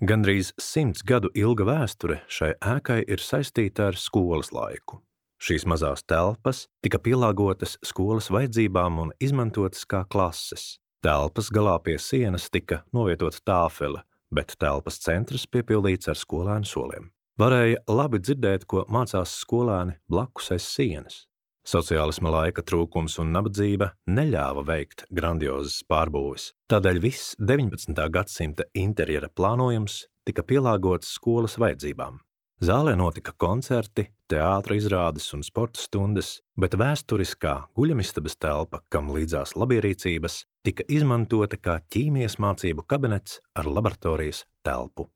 Gandrīz 100 gadu ilga vēsture šai ēkai ir saistīta ar skolas laiku. Šīs mazās telpas tika pielāgotas skolas vajadzībām un izmantotas kā klases. Telpas galā pie sienas tika novietota tāfele, bet telpas centrs piepildīts ar skolēnu soliem. Varēja labi dzirdēt, ko mācās skolēni blakus aiz sienas. Sociālisma laika trūkums un nabadzība neļāva veikt grandiozas pārbūves. Tādēļ viss 19. gadsimta interjera plānojums tika pielāgots skolas vajadzībām. Zālē notika koncerti, teātra izrādes un sporta stundas, bet vēsturiskā guļamistabas telpa, kam līdzās labierīcības, tika izmantota kā ķīmijas mācību kabinets ar laboratorijas telpu.